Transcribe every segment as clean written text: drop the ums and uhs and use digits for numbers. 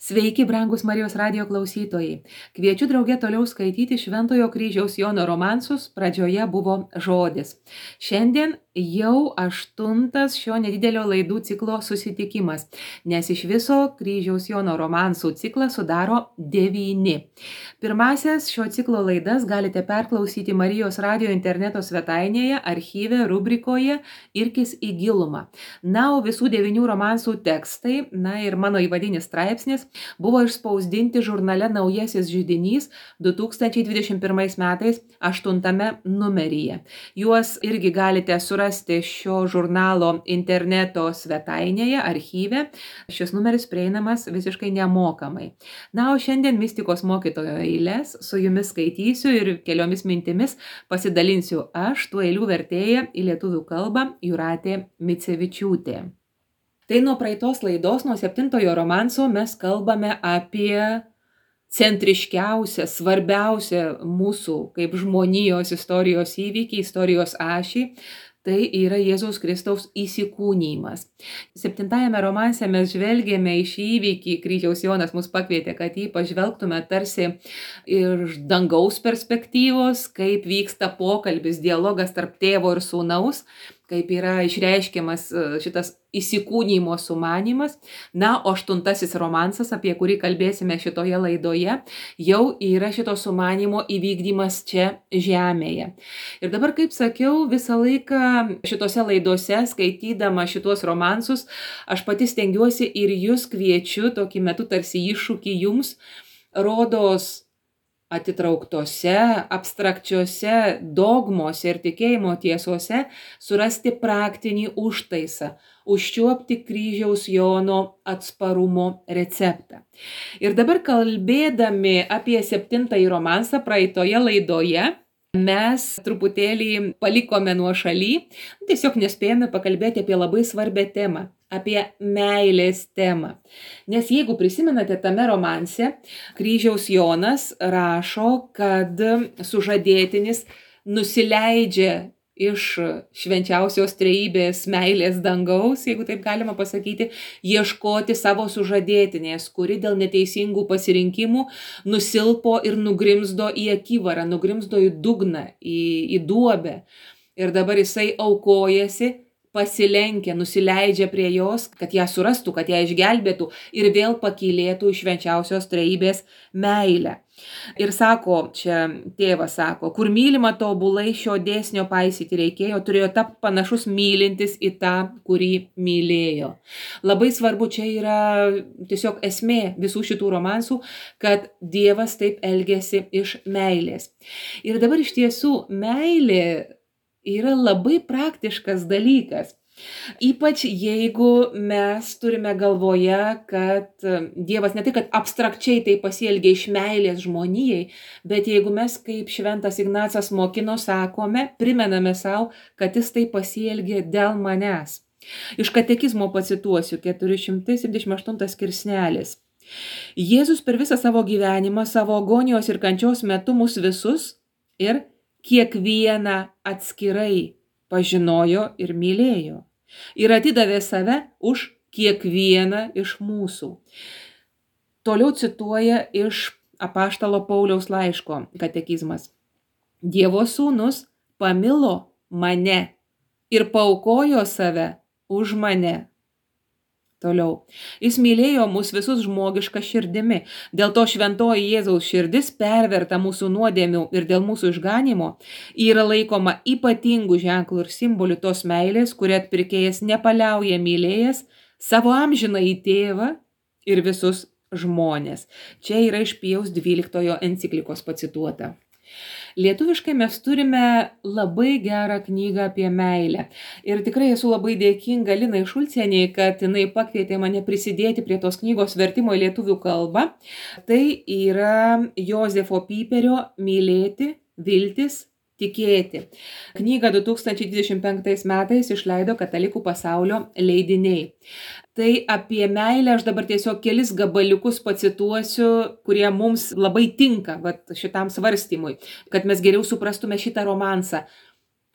Sveiki, brangus Marijos radijo klausytojai. Kviečiu drauge toliau skaityti Šventojo kryžiaus Jono romansus, pradžioje buvo žodis. Šiandien jau 8 šio nedidelio laidų ciklo susitikimas, nes iš viso kryžiaus Jono romansų ciklą sudaro 9. Pirmasias šio ciklo laidas galite perklausyti Marijos radijo interneto svetainėje, archyve, rubrikoje Irkis į gilumą. Na, o visų 9 romansų tekstai, ir mano įvadinis straipsnis buvo išspausdinti žurnale Naujasis židinys 2021 metais 8 numeryje. Juos irgi galite surasti šio žurnalo interneto svetainėje, archyve. Šis numeris prieinamas visiškai nemokamai. Na, o šiandien mistikos mokytojo eiles su jumis skaitysiu ir keliomis mintimis pasidalinsiu aš, tų eilių vertėja į lietuvių kalbą Jūratė Micevičiūtė. Tai nuo praeitos laidos, nuo 7 romanso mes kalbame apie centriškiausią, svarbiausią mūsų kaip žmonijos istorijos įvykį, istorijos ašį. Tai yra Jėzaus Kristaus įsikūnijimas. 7 romanse mes žvelgėme į šį įvykį, kryžiaus Jonas mus pakvietė, kad jį pažvelgtume tarsi iš dangaus perspektyvos, kaip vyksta pokalbis, dialogas tarp tėvo ir sūnaus, kaip yra išreiškiamas šitas įsikūnijimo sumanymas. Na, o 8 romansas, apie kurį kalbėsime šitoje laidoje, jau yra šito sumanimo įvykdymas čia žemėje. Ir dabar, kaip sakiau, visą laiką šitose laidose, skaitydama šitos romansus, aš pati stengiuosi ir jūs kviečiu, tokį metu tarsi iššūkį jums, rodos atitrauktose, abstrakčiose dogmose ir tikėjimo tiesose surasti praktinį užtaisą, užčiuopti kryžiaus Jono atsparumo receptą. Ir dabar kalbėdami apie 7 romansą praeitoje laidoje, mes truputėlį palikome nuošaly, tiesiog nespėjome pakalbėti apie labai svarbią temą, apie meilės temą. Nes jeigu prisimenate, tame romanse kryžiaus Jonas rašo, kad sužadėtinis nusileidžia iš švenčiausios trejybės meilės dangaus, jeigu taip galima pasakyti, ieškoti savo sužadėtinės, kuri dėl neteisingų pasirinkimų nusilpo ir nugrimzdo į akivarą, nugrimzdo į dugną, į duobę. Ir dabar jisai aukojasi, pasilenkia, nusileidžia prie jos, kad ją surastų, kad ją išgelbėtų ir vėl pakylėtų iš švenčiausios trejybės meilę. Ir sako, čia tėvas sako, kur mylima tobulai šio dėsnio paisyti reikėjo, turėjo tapti panašus mylintis į tą, kurį mylėjo. Labai svarbu, čia yra tiesiog esmė visų šitų romansų, kad Dievas taip elgiasi iš meilės. Ir dabar iš tiesų meilė yra labai praktiškas dalykas. Ypač jeigu mes turime galvoje, kad Dievas ne tik, kad abstrakčiai tai pasielgia iš meilės žmonijai, bet jeigu mes, kaip šventas Ignacas mokino, sakome, primename savo, kad jis tai pasielgia dėl manęs. Iš katekizmo pacituosiu 478 skirsnelis. Jėzus per visą savo gyvenimą, savo agonijos ir kančios metu mus visus ir kiekvieną atskirai pažinojo ir mylėjo. Ir atidavė save už kiekvieną iš mūsų. Toliau cituoja iš apaštalo Pauliaus laiško katekizmas. Dievo sūnus pamilo mane ir paaukojo save už mane. Toliau. Jis mylėjo mus visus žmogišką širdimi. Dėl to šventoji Jėzaus širdis perverta mūsų nuodėmių ir dėl mūsų išganymo yra laikoma ypatingų ženklų ir simbolių tos meilės, kurią atpirkėjas nepaliauja mylėjęs savo amžinąjį tėvą ir visus žmonės. Čia yra iš Pijaus 12 enciklikos pacituota. Lietuviškai mes turime labai gerą knygą apie meilę. Ir tikrai esu labai dėkinga Linai Šulcieniai, kad jinai pakvietė mane prisidėti prie tos knygos vertimo į lietuvių kalbą. Tai yra Jozefo Pyperio Mylėti, viltis, tikėti. Knygą 2025 metais išleido Katalikų pasaulio leidiniai. Tai apie meilę aš dabar tiesiog kelis gabaliukus pacituosiu, kurie mums labai tinka šitam svarstymui, kad mes geriau suprastume šitą romansą.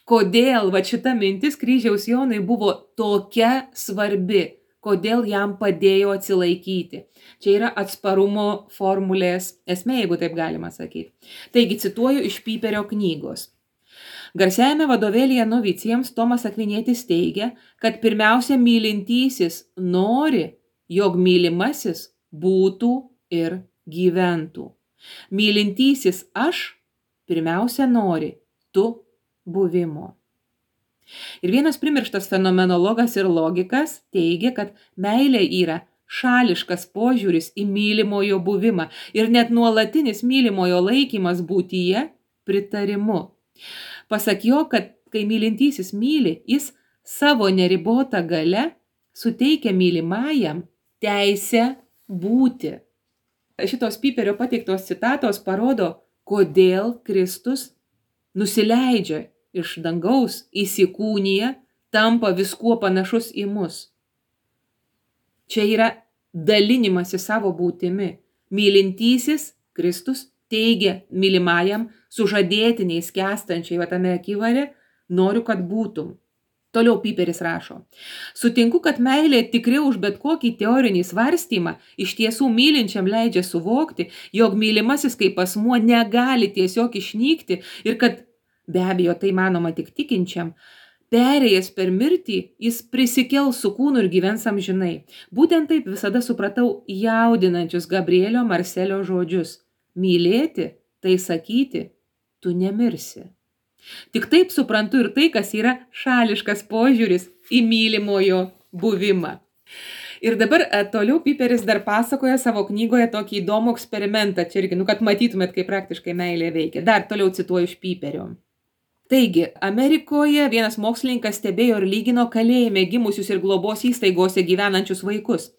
Kodėl šita mintis kryžiaus Jonui buvo tokia svarbi, kodėl jam padėjo atsilaikyti. Čia yra atsparumo formulės esmė, jeigu taip galima sakyti. Taigi, cituoju iš Piperio knygos. Garsiajame vadovėlyje novicijams Tomas Akvinietis teigia, kad pirmiausia mylintysis nori, jog mylimasis būtų ir gyventų. Mylintysis aš pirmiausia nori tu buvimo. Ir vienas primirštas fenomenologas ir logikas teigia, kad meilė yra šališkas požiūris į mylimojo buvimą ir net nuolatinis mylimojo laikymas būtyje pritarimu. Pasak jo, kad kai mylintysis myli, jis savo neribotą galią suteikia mylimajam teisę būti. Šitos Piperio pateiktos citatos parodo, kodėl Kristus nusileidžia iš dangaus, įsikūnija, tampa viskuo panašus į mus. Čia yra dalinimasis savo būtimi. Mylintysis Kristus teigia mylimajam sužadėtiniai skęstančiai tame akivare, noriu, kad būtum. Toliau Piperis rašo. Sutinku, kad meilė tikriau už bet kokį teorinį svarstymą iš tiesų mylinčiam leidžia suvokti, jog mylimasis kaip asmuo negali tiesiog išnykti ir kad, be abejo, tai manoma tik tikinčiam, perėjęs per mirtį, jis prisikels su kūnu ir gyvens amžinai. Būtent taip visada supratau jaudinančius Gabrielio Marselio žodžius. Mylėti, tai sakyti, tu nemirsi. Tik taip suprantu ir tai, kas yra šališkas požiūris į mylimojo buvimą. Ir dabar toliau Piperis dar pasakoja savo knygoje tokį įdomų eksperimentą, čia irgi, kad matytumėt, kaip praktiškai meilė veikia. Dar toliau cituoju iš Piperio. Taigi, Amerikoje vienas mokslininkas stebėjo ir lygino kalėjime gimusius ir globos įstaigose gyvenančius vaikus.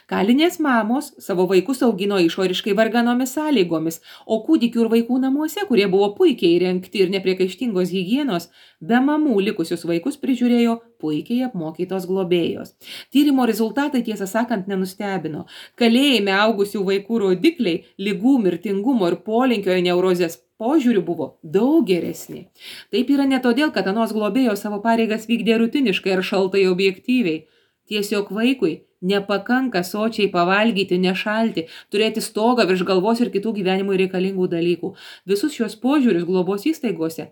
Kalinės mamos savo vaikus augino išoriškai varganomis sąlygomis, o kūdikių ir vaikų namuose, kurie buvo puikiai įrengti ir nepriekaištingos higienos, be mamų likusius vaikus prižiūrėjo puikiai apmokytos globėjos. Tyrimo rezultatai, tiesą sakant, nenustebino. Kalėjime augusių vaikų rodikliai, ligų, mirtingumo ir polinkio į neurozės požiūrių buvo daug geresni. Taip yra ne todėl, kad anos globėjos savo pareigas vykdė rutiniškai ar šaltai objektyviai. Tiesiog vaikui nepakanka sočiai pavalgyti, nešalti, turėti stogą virš galvos ir kitų gyvenimui reikalingų dalykų. Visus šios požiūrius globos įstaigose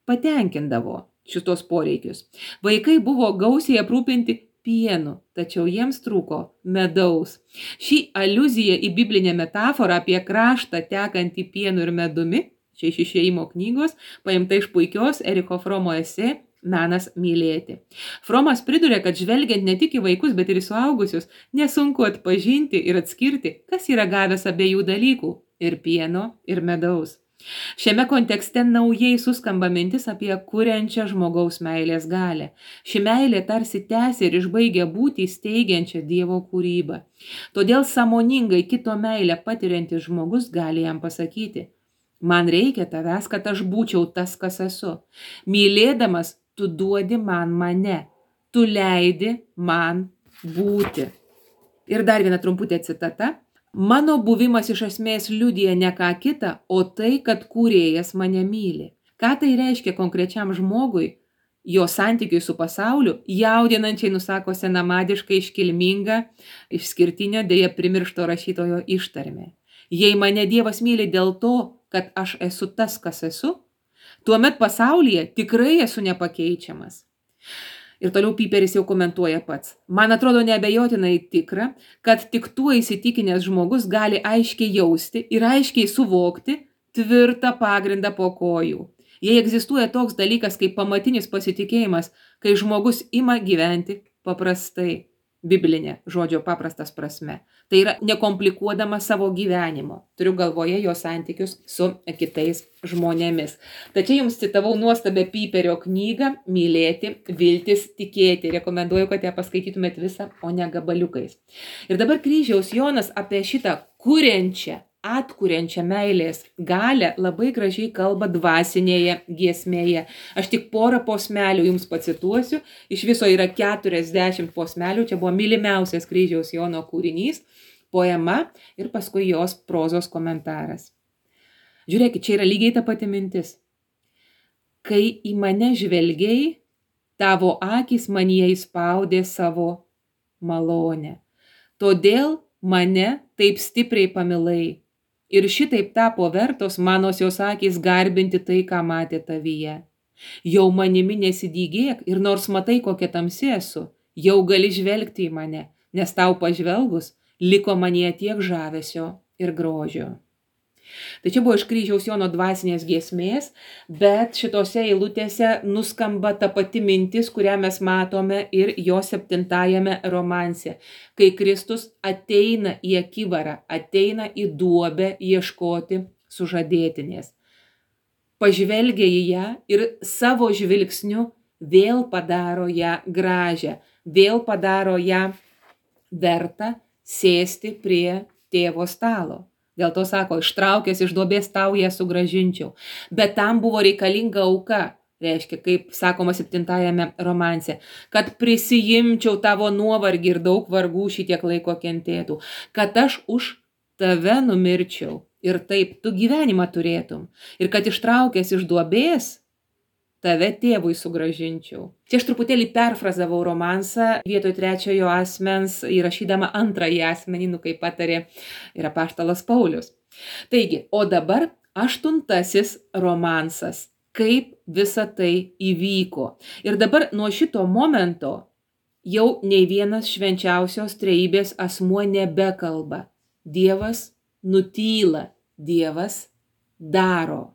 patenkindavo šitos poreikius. Vaikai buvo gausiai aprūpinti pienu, tačiau jiems trūko medaus. Ši aliuzija į biblinę metaforą apie kraštą tekantį pienu ir medumi, čia iš Išėjimo knygos, paimta iš puikios Eriko Fromo esė Menas mylėti. Fromas priduria, kad žvelgiant ne tik į vaikus, bet ir į suaugusius, nesunku atpažinti ir atskirti, kas yra gavęs abiejų dalykų – ir pieno, ir medaus. Šiame kontekste naujai suskamba mintis apie kuriančią žmogaus meilės galią. Ši meilė tarsi tęsia ir išbaigia būtį steigiančią Dievo kūrybą. Todėl sąmoningai kito meilę patiriantis žmogus gali jam pasakyti: man reikia tavęs, kad aš būčiau tas, kas esu. Mylėdamas, tu duodi man mane. Tu leidi man būti. Ir dar viena trumputė citata. Mano buvimas iš esmės liudija ne ką kitą, o tai, kad kūrėjas mane myli. Ką tai reiškia konkrečiam žmogui, jo santykiui su pasauliu, jaudinančiai nusako senamadiškai iškilminga, išskirtinio, deja primiršto rašytojo ištarmė. Jei mane Dievas myli dėl to, kad aš esu tas, kas esu, tuomet pasaulyje tikrai esu nepakeičiamas. Ir toliau Piperis jau komentuoja pats. Man atrodo neabejotinai tikra, kad tik tuo įsitikinęs žmogus gali aiškiai jausti ir aiškiai suvokti tvirtą pagrindą po kojų. Jei egzistuoja toks dalykas kaip pamatinis pasitikėjimas, kai žmogus ima gyventi paprastai, biblinė žodžio paprastas prasme. Tai yra nekomplikuodama savo gyvenimo. Turiu galvoje jo santykius su kitais žmonėmis. Tačiau jums citavau nuostabią Piperio knygą Mylėti, viltis, tikėti. Rekomenduoju, kad ją paskaitytumėt visą, o ne gabaliukais. Ir dabar Kryžiaus Jonas apie šitą kuriančią, atkuriančią meilės galią labai gražiai kalba dvasinėje giesmėje. Aš tik porą posmelių jums pacituosiu. Iš viso yra 40 posmelių. Čia buvo mylimiausias Kryžiaus Jono kūrinys, poema ir paskui jos prozos komentaras. Žiūrėkit, čia yra lygiai ta pati mintis. Kai į mane žvelgiai, tavo akys manyje įspaudė savo malonę. Todėl mane taip stipriai pamilai. Ir šitaip tapo vertos manosios akys garbinti tai, ką matė tavyje. Jau manimi nesidygėk ir nors matai, kokia tamsi esu, jau gali žvelgti į mane, nes tau pažvelgus liko manyje tiek žavesio ir grožio. Tai čia buvo iš Kryžiaus Jono dvasinės giesmės, bet šitose eilutėse nuskamba ta pati mintis, kurią mes matome ir jo 7 romanse, kai Kristus ateina į akivarą, ateina į duobę ieškoti sužadėtinės. Pažvelgia į ją ir savo žvilgsniu vėl padaro ją gražią, vėl padaro ją vertą sėsti prie tėvo stalo. Dėl to sako, ištraukęs iš duobės tau ją sugrąžinčiau. Bet tam buvo reikalinga auka, reiškia, kaip sakoma 7 romanse, kad prisijimčiau tavo nuovargį ir daug vargų šitiek laiko kentėtų, kad aš už tave numirčiau ir taip tu gyvenimą turėtum. Ir kad ištraukęs iš duobės tave tėvui sugrąžinčiau. Čia aš truputėlį perfrazavau romansą vietoj 3 asmens, įrašydama 2 asmenį, kaip patarė ir apaštalas Paulius. Taigi, o dabar 8 romansas, kaip visa tai įvyko. Ir dabar nuo šito momento jau nei vienas švenčiausios trejybės asmuo nebekalba. Dievas nutyla, Dievas daro.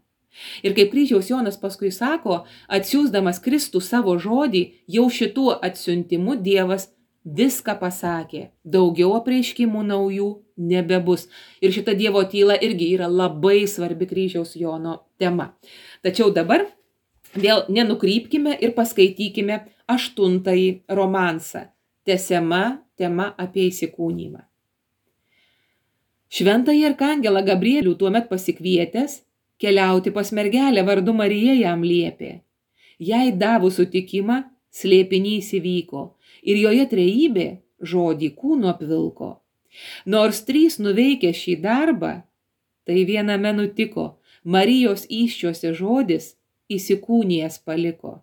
Ir kaip Kryžiaus Jonas paskui sako, atsiųsdamas Kristų savo žodį, jau šituo atsiuntimu Dievas viską pasakė. Daugiau apreiškimų naujų nebebus. Ir šita Dievo tyla irgi yra labai svarbi Kryžiaus Jono tema. Tačiau dabar vėl nenukrypkime ir paskaitykime 8 romansą. Tęsiama tema apie įsikūnymą. Šventąjį arkangelą Gabrielių tuomet pasikvietęs, keliauti pas mergelę vardu Marija jam liepė. Jai davus sutikimą, slėpinys įvyko ir joje trejybė žodį kūnu apvilko. Nors 3 nuveikė šį darbą, tai viename nutiko, Marijos įsčiuose žodis įsikūnijęs paliko.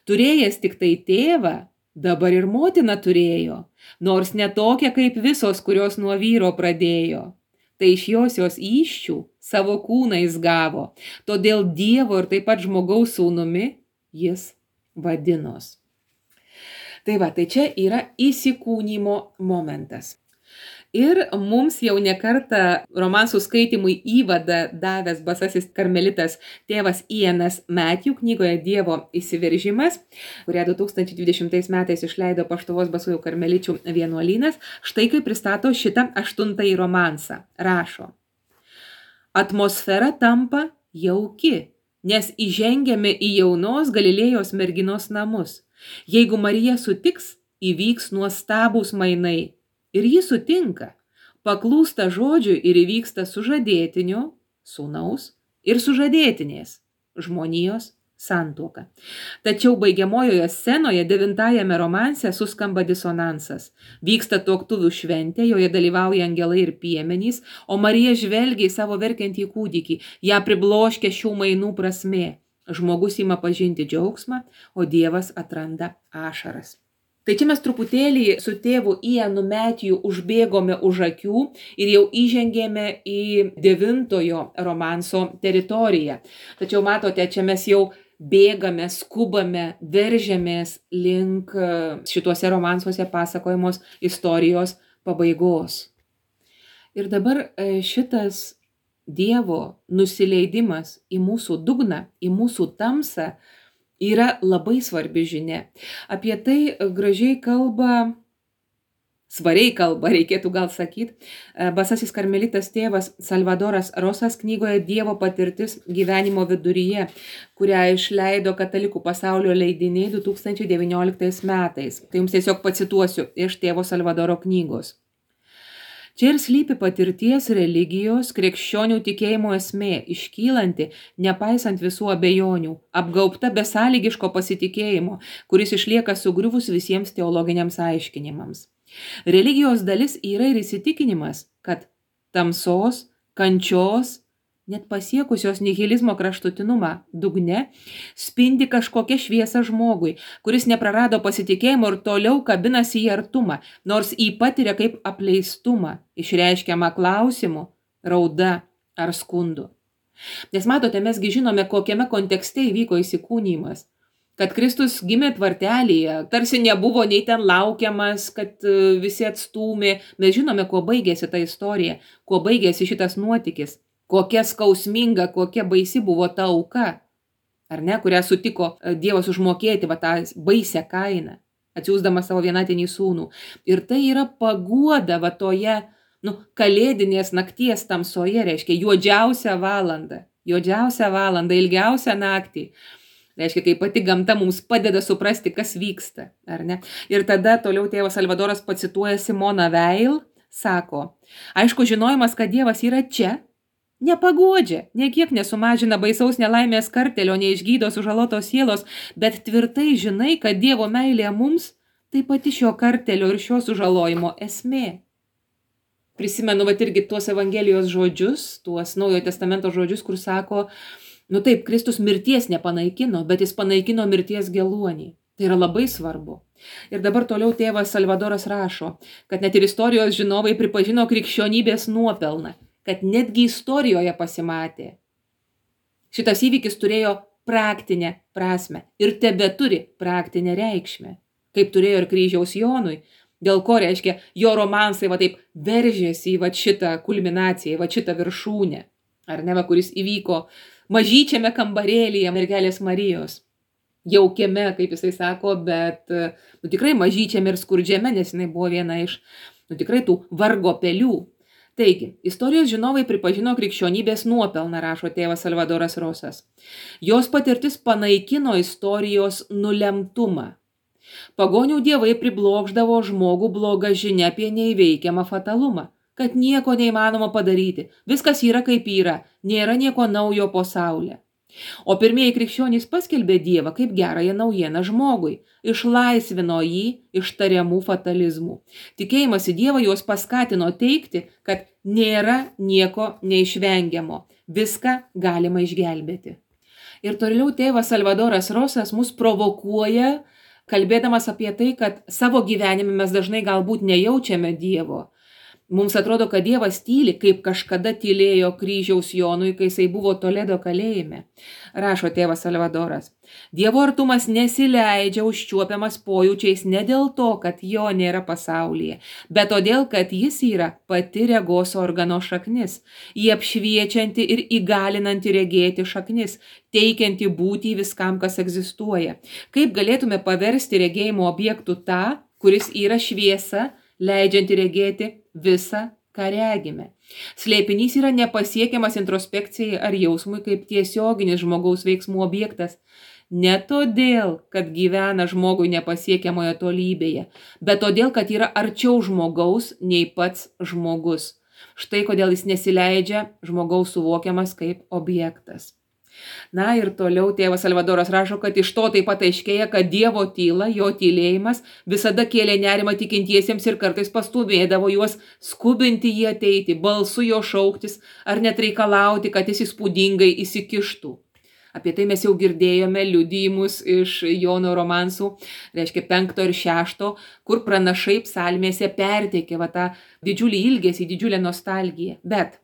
Turėjęs tik tai tėvą, dabar ir motina turėjo, nors ne tokia kaip visos, kurios nuo vyro pradėjo. Tai iš jos įsčių savo kūną jis gavo, todėl Dievo ir taip pat žmogaus sūnumi jis vadinos. Tai va, tai čia yra įsikūnymo momentas. Ir mums jau nekartą romansų skaitimui įvadą davęs basasis karmelitas tėvas Ianas Matthew knygoje Dievo įsiveržimas, kurią 2020 metais išleido Paštuvos basųjų karmeličių vienuolynas, štai kaip pristato šitą 8 romansą. Rašo: atmosfera tampa jauki, nes įžengiame į jaunos Galilėjos merginos namus. Jeigu Marija sutiks, įvyks nuostabūs mainai. Ir ji sutinka, paklūsta žodžiui ir įvyksta sužadėtinio, sūnaus ir sužadėtinės, žmonijos santuoka. Tačiau baigiamojoje scenoje 9 romanse suskamba disonansas. Vyksta tuoktuvių šventė, joje dalyvauja angelai ir piemenys, o Marija žvelgia į savo verkiantį kūdikį, ją pribloškia šių mainų prasmė. Žmogus ima pažinti džiaugsmą, o Dievas atranda ašaras. Tai čia mes truputėlį su tėvu Ianu Matthew užbėgome už akių ir jau įžengėme į 9 romanso teritoriją. Tačiau matote, čia mes jau bėgame, skubame, veržiamės link šituose romansuose pasakojamos istorijos pabaigos. Ir dabar šitas Dievo nusileidimas į mūsų dugną, į mūsų tamsą, yra labai svarbi žinia. Apie tai gražiai kalba, svariai kalba, reikėtų gal sakyti, basasis karmelitas tėvas Salvadoras Rosas knygoje Dievo patirtis gyvenimo viduryje, kurią išleido Katalikų pasaulio leidiniai 2019 metais. Tai jums tiesiog pacituosiu iš tėvo Salvadoro knygos. Čia ir slypi patirties religijos, krikščionių tikėjimo esmė, iškylanti, nepaisant visų abejonių, apgaubta besąlygiško pasitikėjimo, kuris išlieka sugriuvus visiems teologiniams aiškinimams. Religijos dalis yra ir įsitikinimas, kad tamsos, kančios net pasiekusios nihilizmo kraštutinumą dugne, spindi kažkokia šviesa žmogui, kuris neprarado pasitikėjimo ir toliau kabinasi į artumą, nors jį patiria kaip apleistumą, išreiškiamą klausimu, rauda ar skundu. Nes matote, mesgi žinome, kokiame kontekste įvyko įsikūnymas. Kad Kristus gimė tvartelėje, tarsi nebuvo nei ten laukiamas, kad visi atstūmė. Mes žinome, kuo baigėsi ta istorija, kuo baigėsi šitas nuotykis, kokia skausminga, kokia baisi buvo ta auka, ar ne, kurią sutiko Dievas užmokėti, va tą baisę kainą, atsiųsdamas savo vienatinį sūnų. Ir tai yra paguoda va toje, kalėdinės nakties tamsoje, reiškia juodžiausią valandą, ilgiausią naktį. Reiškia, kai pati gamta mums padeda suprasti, kas vyksta, ar ne? Ir tada toliau tėvas Salvadoras pacituoja Simoną Veil, sako, aišku, žinojimas, kad Dievas yra čia, nepaguodžia, niekiek nesumažina baisaus nelaimės kartelio, neišgydo sužalotos sielos, bet tvirtai žinai, kad Dievo meilė mums tai pati šio kartelio ir šio sužalojimo esmė. Prisimenu, irgi tuos Evangelijos žodžius, tuos Naujojo Testamento žodžius, kur sako, taip, Kristus mirties nepanaikino, bet jis panaikino mirties geluonį. Tai yra labai svarbu. Ir dabar toliau tėvas Salvadoras rašo, kad net ir istorijos žinovai pripažino krikščionybės nuopelną, kad netgi istorijoje pasimatė. Šitas įvykis turėjo praktinę prasme ir tebeturi praktinę reikšmę, kaip turėjo ir kryžiaus Jonui, dėl ko reiškia, jo romansai taip veržėsi į šitą kulminaciją, į šitą viršūnę, ar ne, kuris įvyko mažyčiame kambarėlyje mergelės Marijos, jaukiame, kaip jisai sako, bet tikrai mažyčiame ir skurdžiame, nes jinai buvo viena iš tikrai tų vargo pelių. Taigi, istorijos žinovai pripažino krikščionybės nuopelną, rašo tėvas Salvadoras Rosas. Jos patirtis panaikino istorijos nulemtumą. Pagonių dievai priblokšdavo žmogų blogą žinią apie neįveikiamą fatalumą, kad nieko neįmanoma padaryti, viskas yra kaip yra, nėra nieko naujo po saulę. O pirmieji krikščionys paskelbė Dievą kaip gerąją naujieną žmogui, išlaisvino jį iš tariamų fatalizmų. Tikėjimas į Dievą juos paskatino teigti, kad nėra nieko neišvengiamo, viską galima išgelbėti. Ir toliau tėvas Salvadoras Rosas mus provokuoja, kalbėdamas apie tai, kad savo gyvenime mes dažnai galbūt nejaučiame Dievo. Mums atrodo, kad Dievas tyli, kaip kažkada tylėjo kryžiaus Jonui, kai jisai buvo Toledo kalėjime. Rašo tėvas Salvadoras. Dievo artumas nesileidžia užčiuopiamas pojūčiais ne dėl to, kad jo nėra pasaulyje, bet todėl, kad jis yra pati regos organo šaknis, jį apšviečianti ir įgalinanti regėti šaknis, teikianti būtį viskam, kas egzistuoja. Kaip galėtume paversti regėjimo objektų tą, kuris yra šviesa, leidžianti regėti visą, ką regime. Slėpinys yra nepasiekiamas introspekcijai ar jausmui kaip tiesioginis žmogaus veiksmų objektas. Ne todėl, kad gyvena žmogui nepasiekiamoje tolybėje, bet todėl, kad yra arčiau žmogaus nei pats žmogus. Štai kodėl jis nesileidžia žmogaus suvokiamas kaip objektas. Na ir toliau tėvas Salvadoras rašo, kad iš to taip pat aiškėja, kad Dievo tyla, jo tylėjimas visada kėlė nerimą tikintiesiems ir kartais pastūmėdavo juos skubinti jį ateiti, balsu jo šauktis ar net reikalauti, kad jis įspūdingai įsikištų. Apie tai mes jau girdėjome liudijimus iš Jono romansų, reiškia 5 ir 6, kur pranašai psalmėse perteikė tą didžiulį ilgesį, didžiulę nostalgiją. Bet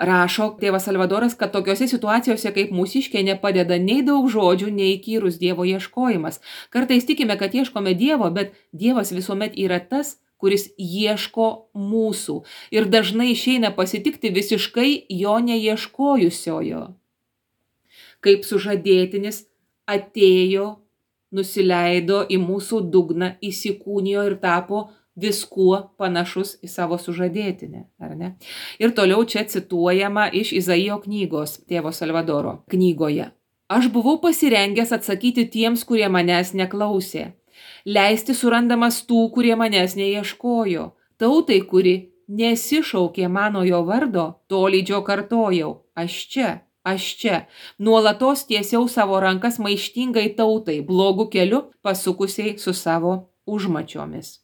rašo tėvas Salvadoras, kad tokiose situacijose kaip mūsiškė nepadeda nei daug žodžių, nei įkyrus Dievo ieškojimas. Kartais tikime, kad ieškome Dievo, bet Dievas visuomet yra tas, kuris ieško mūsų ir dažnai išeina pasitikti visiškai jo neieškojusiojo. Kaip sužadėtinis atėjo, nusileido į mūsų dugną, įsikūnijo ir tapo viskuo panašus į savo sužadėtinę, ar ne? Ir toliau čia cituojama iš Izaijo knygos, tėvo Salvadoro knygoje. Aš buvau pasirengęs atsakyti tiems, kurie manęs neklausė, leisti surandamas tų, kurie manęs neieškojo, tautai, kuri nesišaukė mano jo vardo, tolydžio kartojau, aš čia, nuolatos tiesiau savo rankas maištingai tautai, blogų keliu pasukusiai su savo užmačiomis.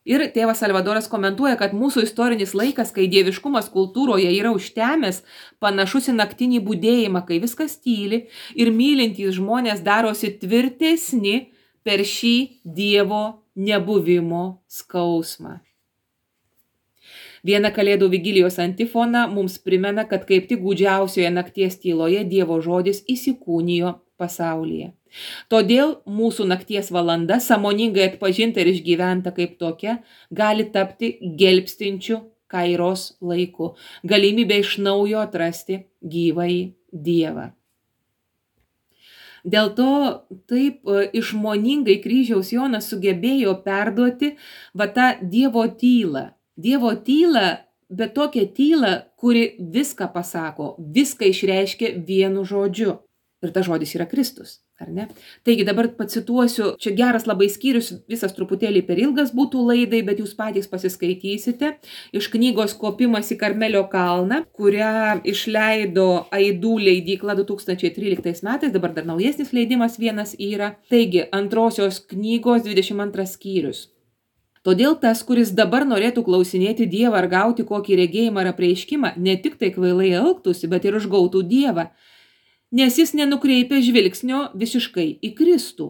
Ir tėvas Salvadoras komentuoja, kad mūsų istorinis laikas, kai dieviškumas kultūroje yra užtemęs, panašus į naktinį budėjimą, kai viskas tyli ir mylintys žmonės darosi tvirtesni per šį Dievo nebuvimo skausmą. Viena Kalėdų vigilijos antifona mums primena, kad kaip tik gūdžiausioje nakties tyloje Dievo žodis įsikūnijo pasaulyje. Todėl mūsų nakties valanda, sąmoningai atpažinta ir išgyventa kaip tokia, gali tapti gelbstinčiu kairos laiku, galimybė iš naujo atrasti gyvąjį Dievą. Dėl to taip išmoningai kryžiaus Jonas sugebėjo perduoti tą Dievo tylą. Dievo tylą, bet tokią tylą, kuri viską pasako, viską išreiškia vienu žodžiu. Ir tas žodis yra Kristus, ar ne? Taigi dabar pacituosiu, čia geras labai skyrius, visas truputėlį per ilgas būtų laidai, bet jūs patys pasiskaitysite iš knygos Kopimas į Karmelio kalną, kurią išleido Aidų leidykla 2013 metais, dabar dar naujesnis leidimas vienas yra. Taigi, antrosios knygos 22 skyrius. Todėl tas, kuris dabar norėtų klausinėti Dievą ar gauti kokį regėjimą ar apreiškimą, ne tik tai kvailai elgtųsi, bet ir užgautų Dievą, nes jis nenukreipia žvilgsnio visiškai į Kristų,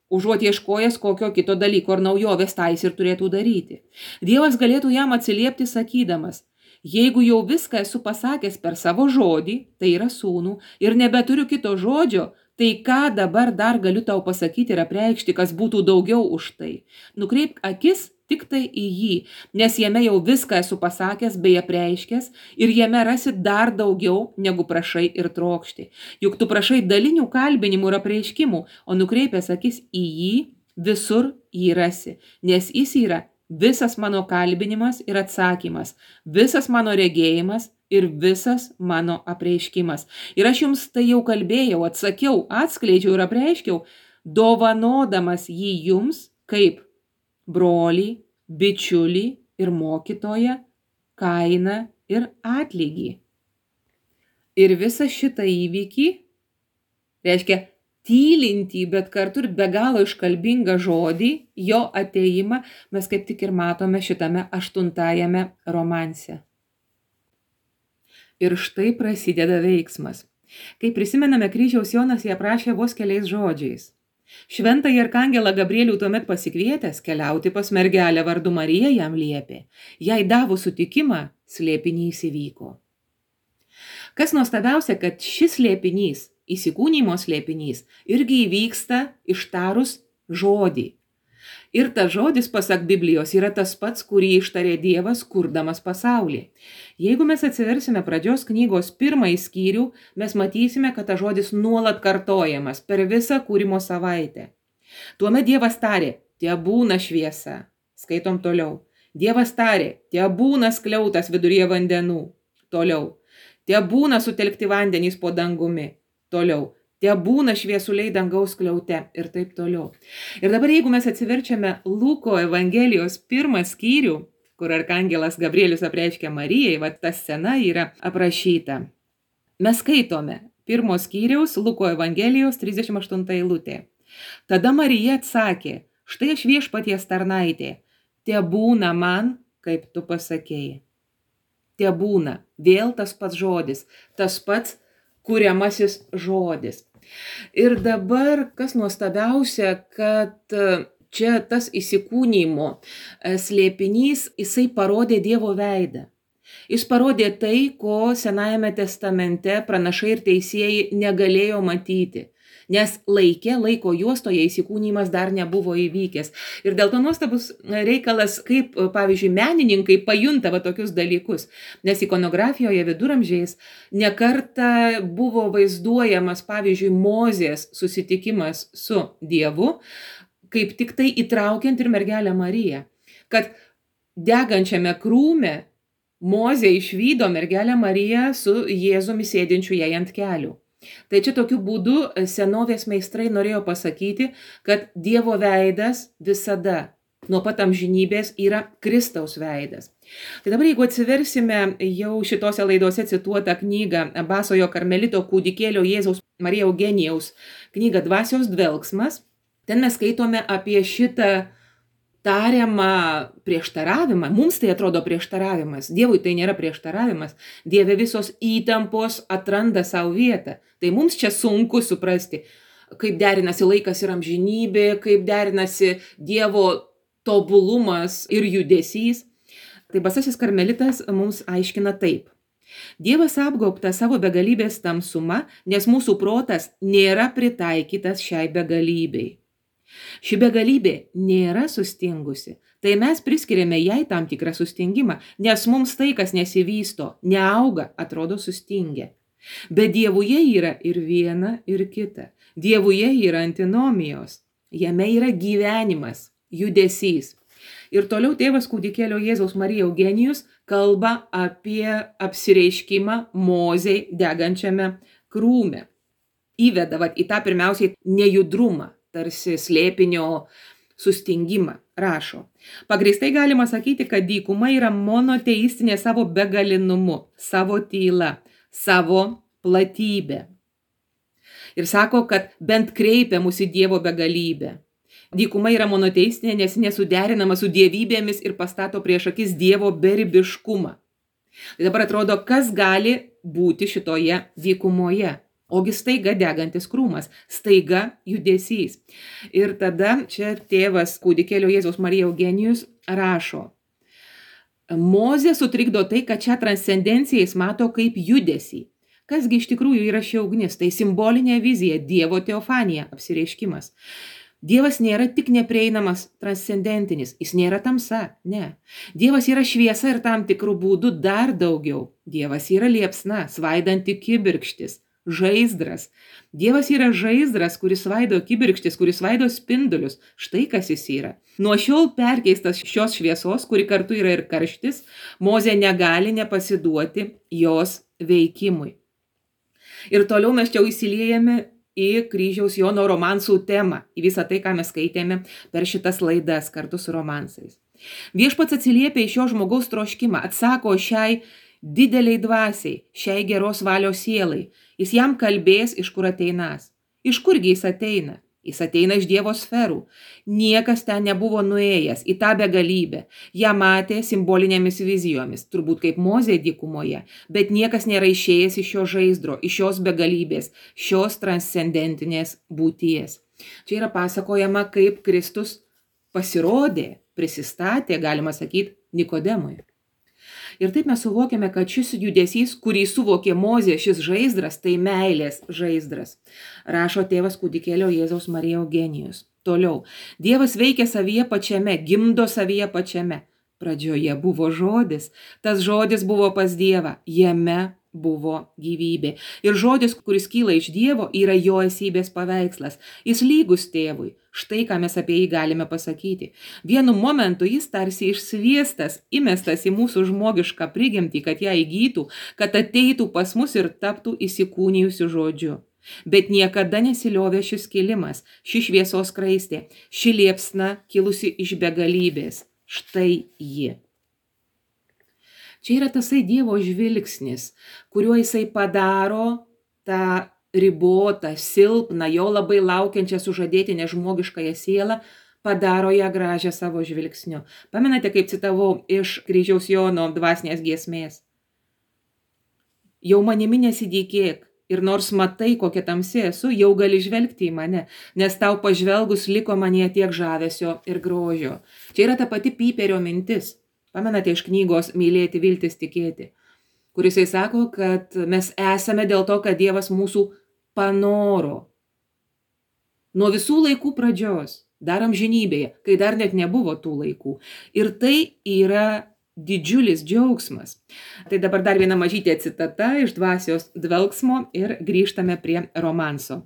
užuot ieškojęs kokio kito dalyko ar naujovės tais ir turėtų daryti. Dievas galėtų jam atsiliepti sakydamas, jeigu jau viską esu pasakęs per savo žodį, tai yra sūnų, ir nebeturiu kito žodžio, tai ką dabar dar galiu tau pasakyti ir apreikšti, kas būtų daugiau už tai? Nukreipk akis tik tai į jį, nes jame jau viską esu pasakęs bei apreiškęs ir jame rasi dar daugiau, negu prašai ir trokšti. Juk tu prašai dalinių kalbinimų ir apreiškimų, o nukreipęs akis į jį, visur jį rasi, nes jis yra visas mano kalbinimas ir atsakymas, visas mano regėjimas ir visas mano apreiškimas. Ir aš jums tai jau kalbėjau, atsakiau, atskleidžiau ir apreiškiau, dovanodamas jį jums kaip brolį, bičiulį ir mokytoją, kainą ir atlygį. Ir visą šitą įvykį, reiškia tylintį, bet kartu ir be galo iškalbingą žodį, jo atėjimą, mes kaip tik ir matome šitame 8 romanse. Ir štai prasideda veiksmas. Kai prisimename, kryžiaus Jonas jį aprašė vos keliais žodžiais. Šventąjį arkangelą Gabrielių tuomet pasikvietęs keliauti pas mergelę vardu Marija jam liepė. Jai davus sutikimą, slėpinys įvyko. Kas nuostabiausia, kad šis slėpinys, įsikūnymo slėpinys, irgi įvyksta ištarus žodį. Ir tas žodis, pasak Biblijos, yra tas pats, kurį ištarė Dievas, kurdamas pasaulį. Jeigu mes atsiversime pradžios knygos 1 skyrių, mes matysime, kad tas žodis nuolat kartojamas per visą kūrimo savaitę. Tuomet Dievas tarė, tebūna šviesa. Skaitom toliau. Dievas tarė, tebūna skliautas viduryje vandenų. Toliau. Tebūna sutelkti vandenys po dangumi. Toliau. Tebūna šviesuliai dangaus skliaute ir taip toliau. Ir dabar, jeigu mes atsiverčiame Luko Evangelijos 1 skyrių, kur arkangelas Gabrielius apreiškia Marijai, ta scena yra aprašyta. Mes skaitome 1 skyriaus Luko Evangelijos 38 eilutė. Tada Marija atsakė, štai aš viešpaties tarnaitė, tebūna man, kaip tu pasakėjai. Tebūna, vėl tas pats žodis, tas pats kuriamasis žodis. Ir dabar, kas nuostabiausia, kad čia tas įsikūnymo slėpinys, jisai parodė Dievo veidą. Jis parodė tai, ko Senajame testamente pranašai ir teisėjai negalėjo matyti. Nes laiko juostoje įsikūnymas dar nebuvo įvykęs. Ir dėl to nuostabus reikalas, kaip, pavyzdžiui, menininkai pajunta tokius dalykus. Nes ikonografijoje viduramžiais nekarta buvo vaizduojamas, pavyzdžiui, Mozės susitikimas su Dievu, kaip tik tai įtraukiant ir mergelę Mariją. Kad degančiame krūme Mozė išvydo mergelę Mariją su Jėzumi sėdinčiu jai ant kelių. Tai čia tokiu būdu senovės meistrai norėjo pasakyti, kad Dievo veidas visada, nuo pat amžinybės, yra Kristaus veidas. Tai dabar, jeigu atsiversime jau šitose laidose cituotą knygą Basojo karmelito kūdikėlio Jėzaus Marija Eugenijaus knygą Dvasios dvelksmas, ten mes skaitome apie šitą tariamą prieštaravimą. Mums tai atrodo prieštaravimas. Dievui tai nėra prieštaravimas. Dieve visos įtampos atranda savo vietą. Tai mums čia sunku suprasti, kaip derinasi laikas ir amžinybė, kaip derinasi Dievo tobulumas ir judesys. Tai Basasis karmelitas mums aiškina taip. Dievas apgaubtas savo begalybės tamsuma, nes mūsų protas nėra pritaikytas šiai begalybei. Ši begalybė nėra sustingusi, tai mes priskiriame jai tam tikrą sustingimą, nes mums tai, kas nesivysto, neauga, atrodo sustingę. Bet Dievuje yra ir viena, ir kita. Dievuje yra antinomijos, jame yra gyvenimas, judesys. Ir toliau tėvas kūdikėlio Jėzaus Marija Eugenijus kalba apie apsireiškimą Mozei degančiame krūme. Įveda į tą pirmiausiai nejudrumą, tarsi slėpinio sustingimą, rašo. Pagrįstai galima sakyti, kad dykuma yra monoteistinė savo begalinumu, savo tyla, savo platybė. Ir sako, kad bent kreipia mus į Dievo begalybę. Dykuma yra monoteistinė, nes nesuderinama su dievybėmis ir pastato prieš akis Dievo beribiškumą. Tai dabar atrodo, kas gali būti šitoje dykumoje. Ogi staiga degantis krūmas, staiga judesys. Ir tada čia tėvas kūdikėlio Jėzaus Marija Eugenijus rašo. Mozė sutrikdo tai, kad šią transcendenciją jis mato kaip judesį. Kasgi iš tikrųjų yra ši ugnis? Tai simbolinė vizija, Dievo teofanija, apsireiškimas. Dievas nėra tik neprieinamas transcendentinis, jis nėra tamsa, ne. Dievas yra šviesa ir tam tikrų būdų dar daugiau. Dievas yra liepsna, svaidanti kibirkštis, žaizdras. Dievas yra žaizdras, kuris svaido kibirkštis, kuris svaido spindulius. Štai kas jis yra. Nuo šiol perkeistas šios šviesos, kuri kartu yra ir karštis, Mozė negali nepasiduoti jos veikimui. Ir toliau mes čia įsiliejame į kryžiaus Jono romansų temą, į visą tai, ką mes skaitėme per šitas laidas kartu su romansais. Viešpats atsiliepia į šio žmogaus troškimą, atsako šiai dideliai dvasiai, šiai geros valios sielai. Jis jam kalbės, iš kur ateinas. Iš kurgi jis ateina? Jis ateina iš Dievo sferų. Niekas ten nebuvo nuėjęs į tą begalybę. Ją matė simbolinėmis vizijomis, turbūt kaip Mozė dykumoje, bet niekas nėra išėjęs iš šio žaizdro, iš šios begalybės, šios transcendentinės būties. Čia yra pasakojama, kaip Kristus pasirodė, prisistatė, galima sakyti, Nikodemui. Ir taip mes suvokiame, kad šis judesys, kurį suvokė Mozė, šis žaizdras, tai meilės žaizdras. Rašo tėvas kūdikėlio Jėzaus Marija Eugenijus. Toliau. Dievas veikia savyje pačiame, gimdo savyje pačiame. Pradžioje buvo žodis. Tas žodis buvo pas Dievą. Jame buvo gyvybė. Ir žodis, kuris kyla iš Dievo, yra jo esybės paveikslas. Jis lygus tėvui. Štai ką mes apie jį galime pasakyti. Vienu momentu jis tarsi išsviestas, įmestas į mūsų žmogišką prigimtį, kad ją įgytų, kad ateitų pas mus ir taptų įsikūnijusiu žodžiu. Bet niekada nesiliovė šis kilimas, ši šviesos skraistė, ši liepsna kilusi iš begalybės. Štai ji. Čia yra tasai Dievo žvilgsnis, kuriuo jisai padaro tą ribotą, silpną, jo labai laukiančią sužadėtinę žmogiškąją sielą, padaro ją gražią savo žvilgsniu. Pamenate, kaip citavau iš kryžiaus Jono dvasinės giesmės? Jau manimi nesidykėk, ir nors matai, kokia tamsi esu, jau gali žvelgti į mane, nes tau pažvelgus liko manyje tiek žavesio ir grožio. Čia yra ta pati Pyperio mintis. Pamenate iš knygos Mylėti, viltis, tikėti, kur jisai sako, kad mes esame dėl to, kad Dievas mūsų panoro. Nuo visų laikų pradžios, dar amžinybėje, kai dar net nebuvo tų laikų. Ir tai yra didžiulis džiaugsmas. Tai dabar dar viena mažytė citata iš Dvasios dvelksmo ir grįžtame prie romanso.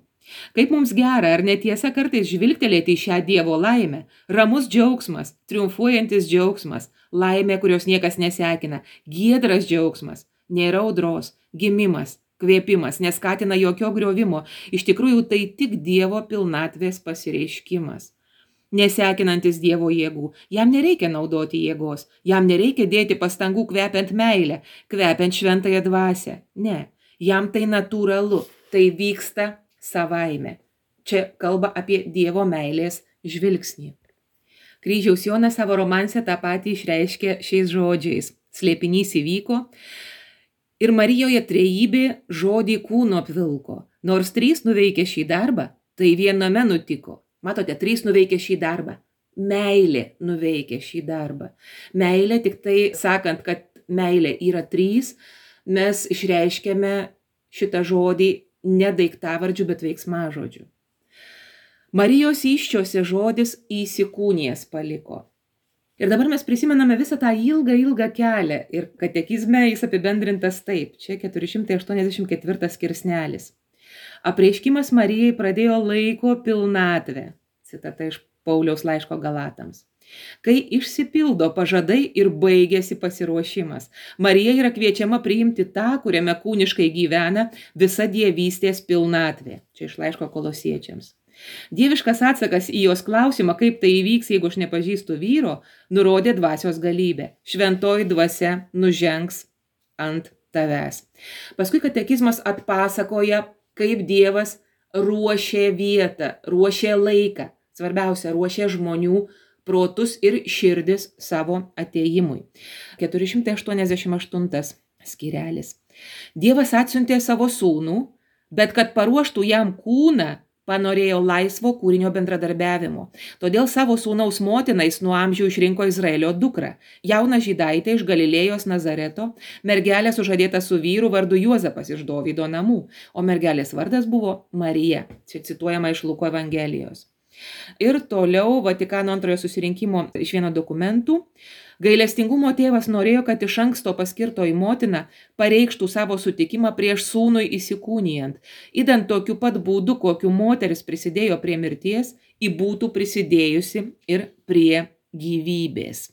Kaip mums gera, ar netiesa kartais žvilgtelėti į šią Dievo laimę, ramus džiaugsmas, triumfuojantis džiaugsmas, laimė, kurios niekas nesekina, giedras džiaugsmas, nėra audros, gimimas, kvėpimas, neskatina jokio griovimo, iš tikrųjų tai tik Dievo pilnatvės pasireiškimas. Nesekinantis Dievo jėgų, jam nereikia naudoti jėgos, jam nereikia dėti pastangų kvepiant meilę, kvepiant šventąją dvasią, ne, jam tai natūralu, tai vyksta savaime. Čia kalba apie Dievo meilės žvilgsnį. Kryžiaus Jonas savo romanse tą patį išreiškė šiais žodžiais. Slėpinys įvyko ir Marijoje trejybė žodį kūno apvilko. Nors 3 nuveikė šį darbą, tai viename nutiko. Matote, 3 nuveikė šį darbą. Meilė nuveikė šį darbą. Meilė, tik tai sakant, kad meilė yra 3, mes išreiškėme šitą žodį ne daiktavardžiu, bet veiksmažodžiu. Marijos įsčiose žodis įsikūnijęs paliko. Ir dabar mes prisimename visą tą ilgą kelią ir katekizme jis apibendrintas taip. Čia 484 skirsnelis. Apreiškimas Marijai pradėjo laiko pilnatvę. Citata iš Pauliaus laiško Galatams. Kai išsipildo pažadai ir baigėsi pasiruošimas, Marija yra kviečiama priimti tą, kuriame kūniškai gyvena visa dievystės pilnatvė. Čia iš laiško Kolosiečiams. Dieviškas atsakas į jos klausimą, kaip tai įvyks, jeigu aš nepažįstu vyro, nurodė dvasios galybę. Šventoji dvasia nužengs ant tavęs. Paskui katekizmas atpasakoja, kaip Dievas ruošė vietą, ruošė laiką. Svarbiausia, ruošė žmonių protus ir širdis savo atėjimui. 488 skirelis. Dievas atsiuntė savo sūnų, bet kad paruoštų jam kūną, panorėjo laisvo kūrinio bendradarbiavimo. Todėl savo sūnaus motinais nuo amžių išrinko Izraelio dukrą, jauną žydaitę iš Galilėjos Nazareto, mergelę sužadėtą su vyru vardu Juozapas iš Dovydo namų, o mergelės vardas buvo Marija, čia cituojama iš Luko Evangelijos. Ir toliau Vatikano antrojo susirinkimo iš vieno dokumentų. Gailestingumo tėvas norėjo, kad iš anksto paskirtoji motina pareikštų savo sutikimą prieš sūnui įsikūnijant, idant tokiu pat būdu, kokiu moteris prisidėjo prie mirties, ji būtų prisidėjusi ir prie gyvybės.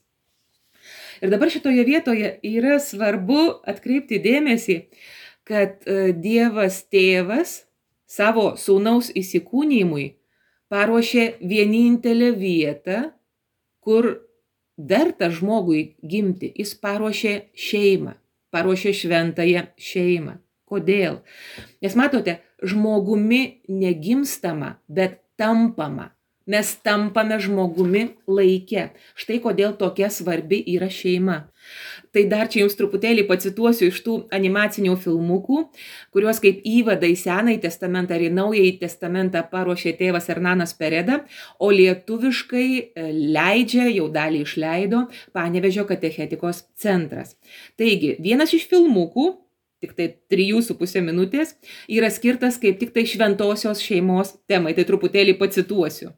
Ir dabar šitoje vietoje yra svarbu atkreipti dėmesį, kad Dievas tėvas savo sūnaus įsikūnijimui paruošė vienintelę vietą, kur verta žmogui gimti. Jis paruošė šeimą, paruošė šventąją šeimą. Kodėl? Nes matote, žmogumi negimstama, bet tampama. Mes tampame žmogumi laike. Štai kodėl tokia svarbi yra šeima. Tai dar čia jums truputėlį pacituosiu iš tų animacinių filmukų, kuriuos kaip įvada į Senąjį testamentą ir į Naująjį testamentą paruošė tėvas Hernanas Pereda, o lietuviškai leidžia, jau dalį išleido, Panevėžio katechetikos centras. Taigi, vienas iš filmukų, tik tai 3,5 minutės, yra skirtas kaip tik tai šventosios šeimos temai. Tai truputėlį pacituosiu.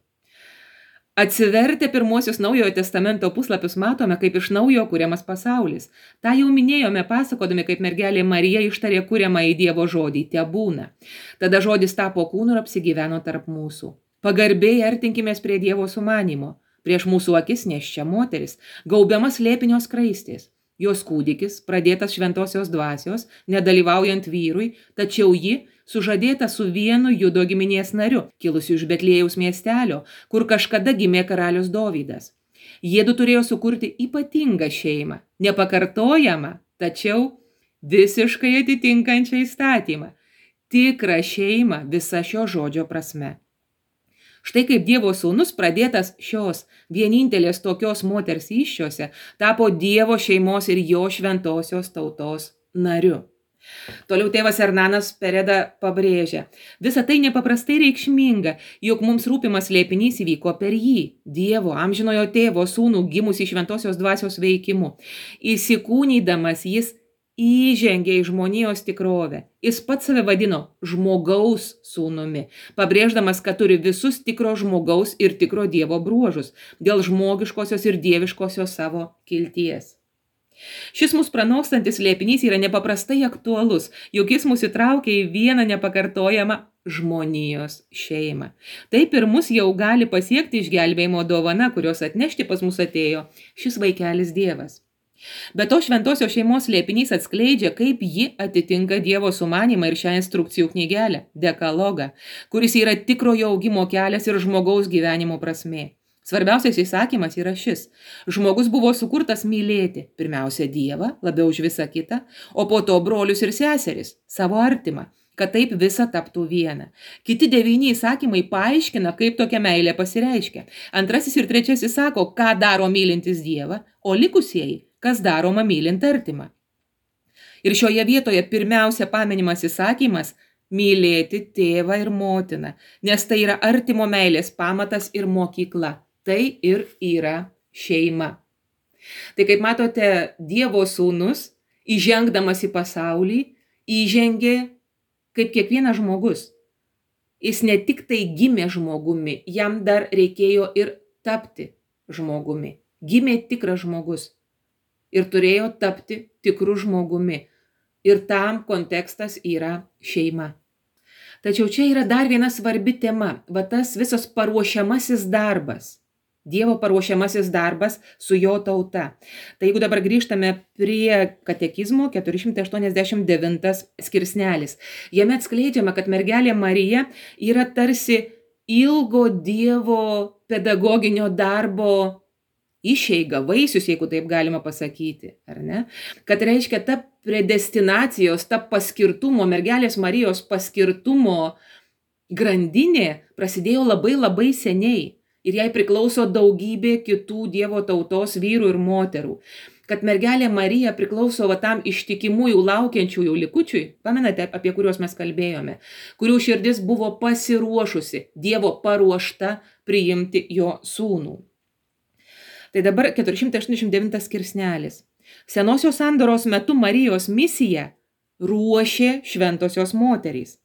Atsivertę pirmuosius Naujojo testamento puslapius matome, kaip iš naujo kuriamas pasaulis. Ta jau minėjome pasakodami, kaip mergelė Marija ištarė kuriamą į Dievo žodį – tebūna. Tada žodis tapo kūnu ir apsigyveno tarp mūsų. Pagarbiai artinkimės prie Dievo sumanimo. Prieš mūsų akis neščia moteris, gaubiamas slėpinio skraistės. Jos kūdikis, pradėtas šventosios dvasios, nedalyvaujant vyrui, tačiau ji sužadėta su vienu Judo giminės nariu, kilusiu iš Betliejaus miestelio, kur kažkada gimė karalius Dovydas. Jiedu turėjo sukurti ypatingą šeimą, nepakartojamą, tačiau visiškai atitinkančią įstatymą. Tikrą šeimą visa šio žodžio prasme. Štai kaip Dievo sūnus, pradėtas šios vienintelės tokios moters įsčiose, tapo Dievo šeimos ir jo šventosios tautos nariu. Toliau tėvas Hernanas Pereda pabrėžia, visa tai nepaprastai reikšminga, jog mums rūpimas slėpinys įvyko per jį, Dievo, amžinojo tėvo sūnų gimusį šventosios dvasios veikimu. Įsikūnydamas jis įžengė į žmonijos tikrovę. Jis pats save vadino žmogaus sūnumi, pabrėždamas, kad turi visus tikro žmogaus ir tikro Dievo bruožus dėl žmogiškosios ir dieviškosios savo kilties. Šis mūsų pranokstantis slėpinys yra nepaprastai aktualus, juk jis mus įtraukia į vieną nepakartojamą žmonijos šeimą. Taip ir mus jau gali pasiekti išgelbėjimo dovana, kurios atnešti pas mus atėjo šis vaikelis Dievas. Be to šventosios šeimos slėpinys atskleidžia, kaip ji atitinka Dievo sumanimą ir šią instrukcijų knygelę, dekalogą, kuris yra tikrojo augimo kelias ir žmogaus gyvenimo prasmė. Svarbiausias įsakymas yra šis. Žmogus buvo sukurtas mylėti pirmiausia Dievą, labiau už visą kitą, o po to brolius ir seseris, savo artimą, kad taip visa taptų viena. Kiti 9 įsakymai paaiškina, kaip tokia meilė pasireiškia. 2 ir 3 sako, ką daro mylintis Dievą, o likusieji, kas daroma mylint artimą. Ir šioje vietoje pirmiausia paminimas įsakymas mylėti tėvą ir motiną, nes tai yra artimo meilės pamatas ir mokykla. Tai ir yra šeima. Tai kaip matote, Dievo sūnus, įžengdamas į pasaulį, įžengė kaip kiekvienas žmogus. Jis ne tik tai gimė žmogumi, jam dar reikėjo ir tapti žmogumi. Gimė tikras žmogus ir turėjo tapti tikru žmogumi. Ir tam kontekstas yra šeima. Tačiau čia yra dar viena svarbi tema, va tas visas paruošiamasis darbas. Dievo paruošiamasis darbas su jo tauta. Tai jeigu dabar grįžtame prie katekizmo 489 skirsnelis, jame atskleidžiama, kad mergelė Marija yra tarsi ilgo Dievo pedagoginio darbo išeiga, vaisius, jeigu taip galima pasakyti, ar ne? Kad reiškia ta predestinacijos, ta paskirtumo, mergelės Marijos paskirtumo grandinė prasidėjo labai seniai. Ir jai priklauso daugybė kitų Dievo tautos vyrų ir moterų. Kad mergelė Marija priklauso tam ištikimųjų laukiančiųjų likučiui, pamenate, apie kuriuos mes kalbėjome, kurių širdis buvo pasiruošusi, Dievo paruošta priimti jo sūnų. Tai dabar 489 skirsnelis. Senosios sandoros metu Marijos misiją ruošė šventosios moterys.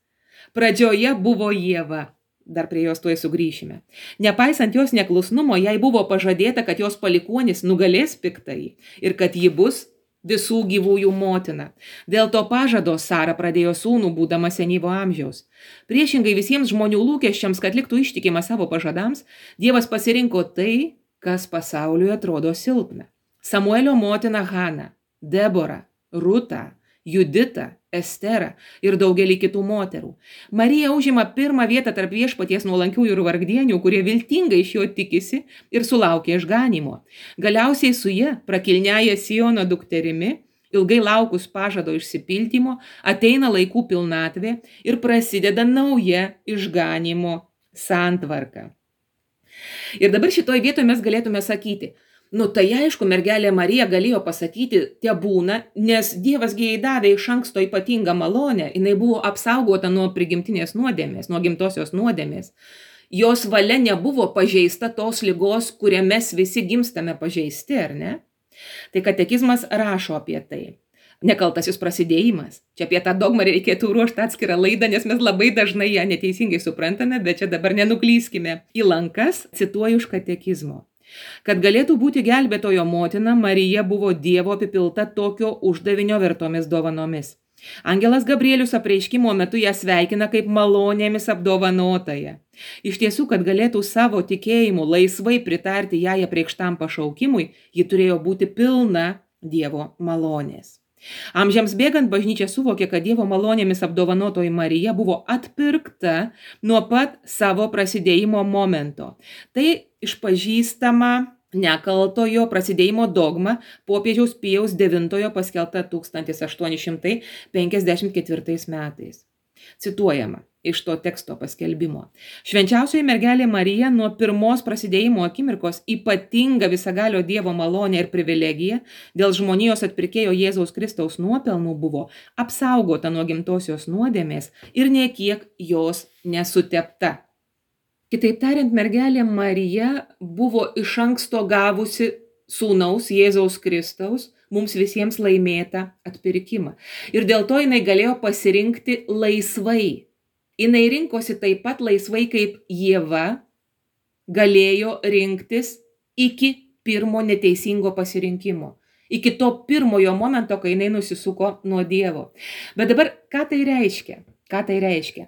Pradžioje buvo Ieva. Dar prie jos tuoj sugrįšime. Nepaisant jos neklusnumo, jai buvo pažadėta, kad jos palikuonis nugalės piktąjį ir kad ji bus visų gyvųjų motina. Dėl to pažado Sara pradėjo sūnų, būdama senyvo amžiaus. Priešingai visiems žmonių lūkesčiams, kad liktų ištikima savo pažadams, Dievas pasirinko tai, kas pasauliui atrodo silpna. Samuelio motina Hana, Debora, Ruta, Judita, Estera ir daugelį kitų moterų. Marija užima pirmą vietą tarp viešpaties nuolankiųjų ir vargdienių, kurie viltingai iš jo tikisi ir sulaukia išganymo. Galiausiai su ja, prakilniaja Siono dukterimi, ilgai laukus pažado išsipildymo, ateina laikų pilnatvė ir prasideda nauja išganymo santvarka. Ir dabar šitoj vietoje mes galėtume sakyti, tai aišku, mergelė Marija galėjo pasakyti, tebūna, nes Dievas jai davė iš anksto ypatingą malonę, jinai buvo apsaugota nuo prigimtinės nuodėmės, nuo gimtosios nuodėmės. Jos valia nebuvo pažeista tos ligos, kurią mes visi gimstame pažeisti, ar ne? Tai katekizmas rašo apie tai. Nekaltasis prasidėjimas. Čia apie tą dogmą reikėtų ruošti atskirą laidą, nes mes labai dažnai ją neteisingai suprantame, bet čia dabar nenuklyskime į lankas, cituoju iš katekizmo. Kad galėtų būti gelbėtojo motina, Marija buvo Dievo apipilta tokio uždavinio vertomis dovanomis. Angelas Gabrielius apreiškimo metu ją sveikina kaip malonėmis apdovanotąją. Iš tiesų, kad galėtų savo tikėjimu laisvai pritarti jai apreikštam pašaukimui, ji turėjo būti pilna Dievo malonės. Amžiams bėgant bažnyčia suvokė, kad Dievo malonėmis apdovanotoji Marija buvo atpirkta nuo pat savo prasidėjimo momento. Tai išpažįstama nekaltojo prasidėjimo dogma popiežiaus Pijaus IX paskelbta 1854 metais. Cituojama iš to teksto paskelbimo. Švenčiausioji mergelė Marija nuo pirmos prasidėjimo akimirkos ypatinga visagalio Dievo malonė ir privilegija dėl žmonijos atpirkėjo Jėzaus Kristaus nuopelnų buvo apsaugota nuo gimtosios nuodėmės ir nė kiek jos nesutepta. Kitaip tariant, mergelė Marija buvo iš anksto gavusi sūnaus Jėzaus Kristaus mums visiems laimėtą atpirkimą. Ir dėl to jinai galėjo pasirinkti laisvai. Jinai rinkosi taip pat laisvai, kaip Ieva galėjo rinktis iki pirmo neteisingo pasirinkimo. Iki to pirmojo momento, kai jinai nusisuko nuo Dievo. Bet dabar, ką tai reiškia?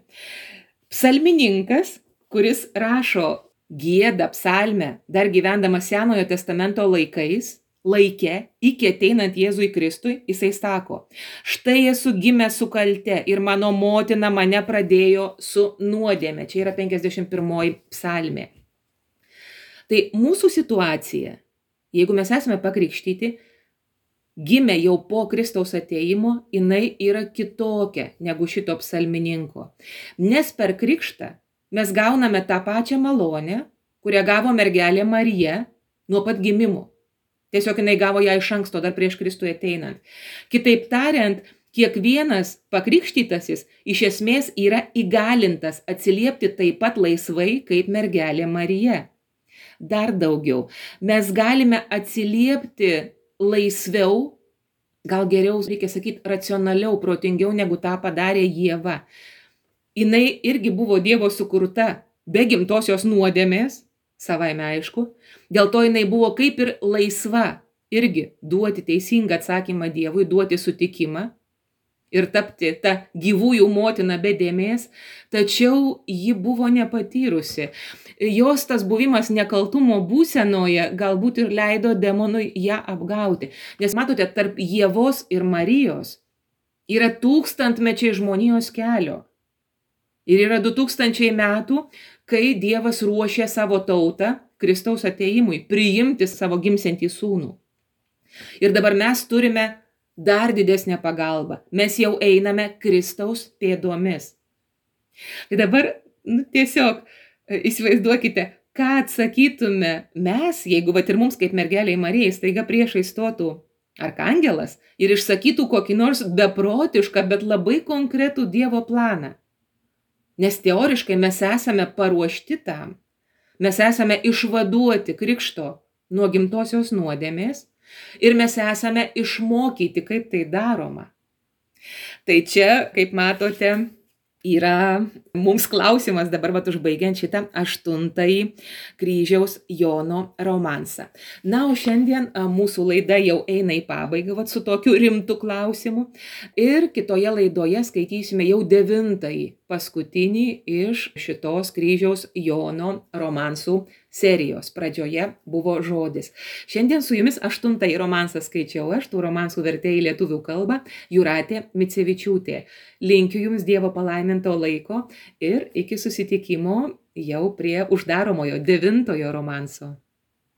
Psalmininkas, kuris rašo giedą psalmę, dar gyvendamas Senojo testamento laike, iki ateinant Jėzui Kristui, jisai sako, štai esu gimęs su kalte ir mano motina mane pradėjo su nuodėme. Čia yra 51 psalmė. Tai mūsų situacija, jeigu mes esame pakrikštyti, gimė jau po Kristaus atėjimo, jinai yra kitokia negu šito psalmininko. Nes per krikštą mes gauname tą pačią malonę, kurią gavo mergelė Marija nuo pat gimimo. Tiesiog jinai gavo ją iš anksto, dar prieš Kristui ateinant. Kitaip tariant, kiekvienas pakrikštytasis iš esmės yra įgalintas atsiliepti taip pat laisvai kaip mergelė Marija. Dar daugiau, mes galime atsiliepti laisviau, gal geriau reikia sakyti racionaliau, protingiau negu tą padarė Ieva. Jinai irgi buvo Dievo sukurta be gimtosios nuodėmės, savaime aišku, dėl to jinai buvo kaip ir laisva irgi duoti teisingą atsakymą Dievui, duoti sutikimą ir tapti tą gyvųjų motiną be dėmės, tačiau ji buvo nepatyrusi. Jos tas buvimas nekaltumo būsenoje galbūt ir leido demonui ją apgauti. Nes matote, tarp Ievos ir Marijos yra tūkstantmečiai žmonijos kelio. Ir yra 2000 metų, kai Dievas ruošė savo tautą Kristaus atėjimui, priimti savo gimsiantį sūnų. Ir dabar mes turime dar didesnę pagalbą. Mes jau einame Kristaus pėdomis. Tai dabar tiesiog įsivaizduokite, ką atsakytume mes, jeigu ir mums kaip mergeliai Marijai staiga priešai stotų arkangelas ir išsakytų kokį nors beprotišką, bet labai konkretų Dievo planą. Nes teoriškai mes esame paruošti tam. Mes esame išvaduoti krikšto nuo gimtosios nuodėmės ir mes esame išmokyti, kaip tai daroma. Tai čia, kaip matote, yra mums klausimas dabar užbaigiant šitą 8-ąjį kryžiaus Jono romansą. Na, o šiandien mūsų laida jau eina į pabaigą su tokiu rimtu klausimu ir kitoje laidoje skaitysime jau 9-ąjį, paskutinį iš šitos kryžiaus Jono romansų serijos. Pradžioje buvo žodis. Šiandien su jumis 8-ąjį romansą skaičiau aš, tų romansų vertėjai į lietuvių kalbą, Jūratė Micevičiūtė. Linkiu jums Dievo palaiminto laiko ir iki susitikimo jau prie uždaromojo 9-ojo romanso.